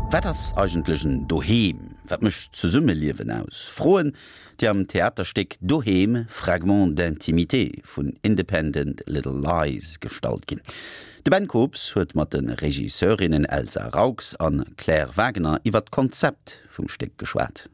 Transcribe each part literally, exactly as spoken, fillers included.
Wat ass eigentlech en Doheem? Wat mécht Zesummeliewen aus? Froen, déi am Theaterstéck Doheem, Fragments d'intimité vun Independent Little Lies gestallt ginn. De Ben Kobs huet mat de Regisseurinnen Elsa Raux an Claire Wagener iwwer d'Konzept vum Stéck geschwat.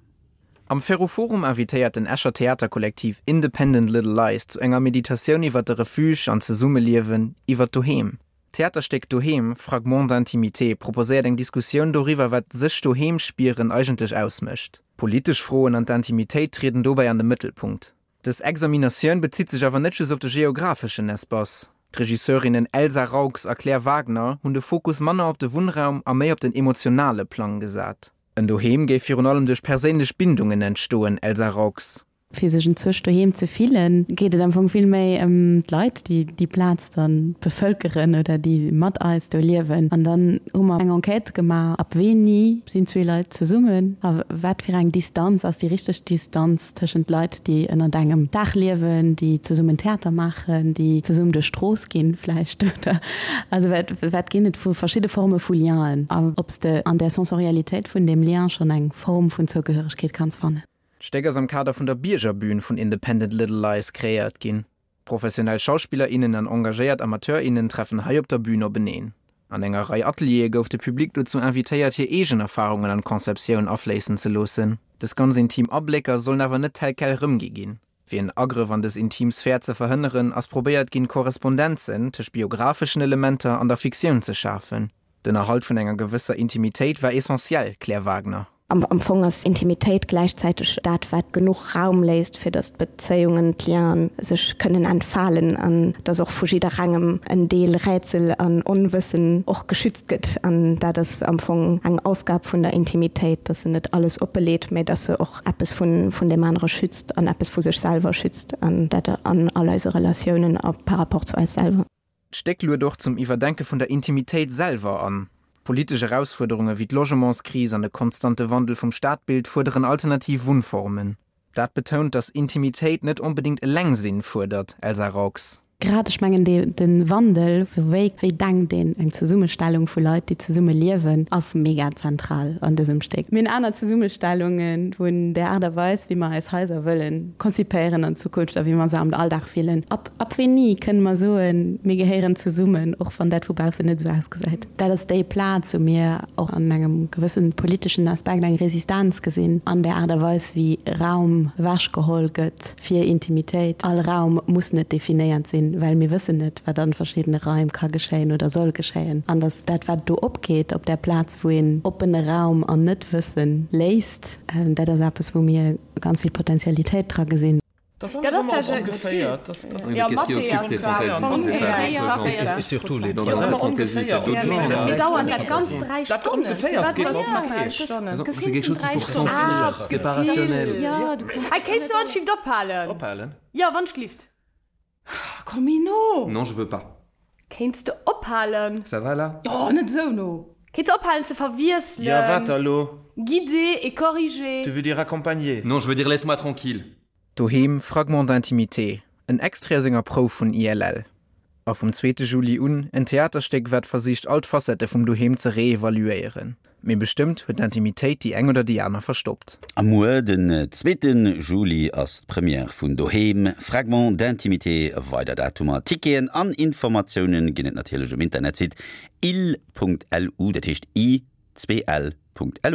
Am Ferroforum invitéiert den Escher Theaterkollektiv Independent Little Lies zu enger Meditatioun iwwer de Refuge an Zesummeliewen, iwwer Doheem. D'Theaterstéck Doheem, Fragments d'intimité proposéiert eng Diskussioun doriwwer, wat sech doheem spieren eigentlech ausmécht. Politesch Froen an d'Intimitéit trieden dobäi an de Mëttelpunkt. Dës Examinatioun bezitt sech awer net just op de geographeschen Espace. D'Regisseurinnen Elsa Raux a Claire Wagener hunn de Fokus manner op de Wunnraum a méi op den emotionale Plang gesat. En Doheem géif virun allem duerch perséinlech Bindungen entstoen, Elsa Raux. Fir sech enzwousch doheem ze fillen, geet et am Fong vill méi ëm d'Leit, déi déi Plaz dann bevëlkeren oder déi mat eis do liewen. An dann hu mer eng Enquête gemaach, ab wéini sinn zwee Leit zesummen a wat fir eng Distanz ass déi richteg Distanz tëschent Leit, déi ënnert engem Daach liewen, déi zesummen Theater maachen, déi zesummen duerch d'Strooss ginn vläicht oder also wat wat ginn et vu verschidde Forme vu Lienen a ob s de an där Sensorialitéit vun deem Lien schonn eng Form vun Zougehöregkeet kanns fannen. D'Stéck ass am Kader vun der Biergerbühn vun Independent Little Lies kreéiert ginn. Professionell Schauspiller, innen an engagéiert Amateur, innen treffen hei op der Bün openeen. An enger Rei Ateliere gouf de Public dozou invitéiert, hir eegen Erfarungen an d'Konzeptioun afléissen ze loossen. Dës ganz intim Ablécker sollen awer net tel quel rëmgi ginn. Fir en Agrëff an dës intim Sphär ze verhënneren, ass probéiert ginn, Korrespondenzen tëscht biographeschen Elementer an der Fiktioun ze schafen. Den Erhalt vun enger gewësser Intimitéit war essentiell, Claire Wagener. Am, am Fong ass Intimitéit gläichzäiteg dat, wat genuch Raum léisst, fir datt d'Bezéiungen, d'Lienen sech kënnen entfalen an datt och vu jidderengem en Deel Rätsel an Onwëssen och geschützt gëtt. An dat ass am Fong eng Aufgab vun der Intimitéit, datt se net alles oppeleet, mä datt se och eppes vun, vun deem anere schützt an eppes vu sech selwer schützt an dat an all eise Relatiounen a par rapport zu eis selwer. D'Stéck luet och zum Iwwerdenke vun der Intimitéit selwer an. Politesch Erausfuerderunge wéi d'Logementskris an de konstante Wandel vum Stadbild fuerderen alternativ Wunnformen. Dat betount, datt Intimitéit net onbedéngt Elengsinn fuerdert, Elsa Raux. Grad, ech mengen, dee, de Wandel, wéi, wéi denkt een eng Zesummestellung vu Leit, déi zesumme liewen, ass mega zentral an dësem Stéck. Mir hunn aner Zesummestellunge vun der Aart a Weis, wéi mer eis Haiser wëllen konzipéieren an Zukunft a wéi mer se am Alldag fillen. Ab, ab wéini kënne mer soen, mir gehéieren zesummen, och wann dat vu baussen net esou ausgesäit? Dat ass déi Plaz, wou mir och an engem gewëssen politeschen Aspekt eng Resistenz gesinn an der Aart a Weis, wéi Raum ewechgeholl gëtt fir Intimitéit. All Raum muss net definéiert sinn, well mir wëssen net, wat an verschiddene Raim ka geschéien oder soll geschéien. An dass dat, wat do opgeet op där Plaz, wou een oppene Raum an Net-Wëssen léisst, dat ass eppes, wou mir ganz vill Potentialitéit dra gesinn. Dat ass ongeféier. Jo, Mathé ass zwar ongeféier. Mee dauert dat Ganzt dräi Stonnen? Firwat dräi Stonnen? Gefillten dräi Stonnen. Hei, kéints du anscheinend ophalen? Ophalen? Jo, wann ech glift. Komm méi no! Non, je veux pas. Kéints de ophalen? Ça va là? Oh, net esou no! Kéints de ophalen ze verwiesselen? Jo, wat da lo? Guider et corriger. Tu veux dire accompagner? Non, je veux dire laisse-moi tranquille. Doheem, Fragments d'intimité, en Extrait aus enger Prouf vun I L L. A vum zweete Juli un en Theaterstéck, wat versicht all d'Facette vum Doheem ze reevaluéieren. Mee bestëmmt huet d'Intimitéit déi eng oder déi aner verstoppt. A muer, den zweete Juli, ass d'Première vun Doheem, Fragments d'intimité. Weider Datumer, Ticketen an Informatioune ginn et natierlech um Internetsite il Punkt lu, dat heescht i zwee l Punkt lu.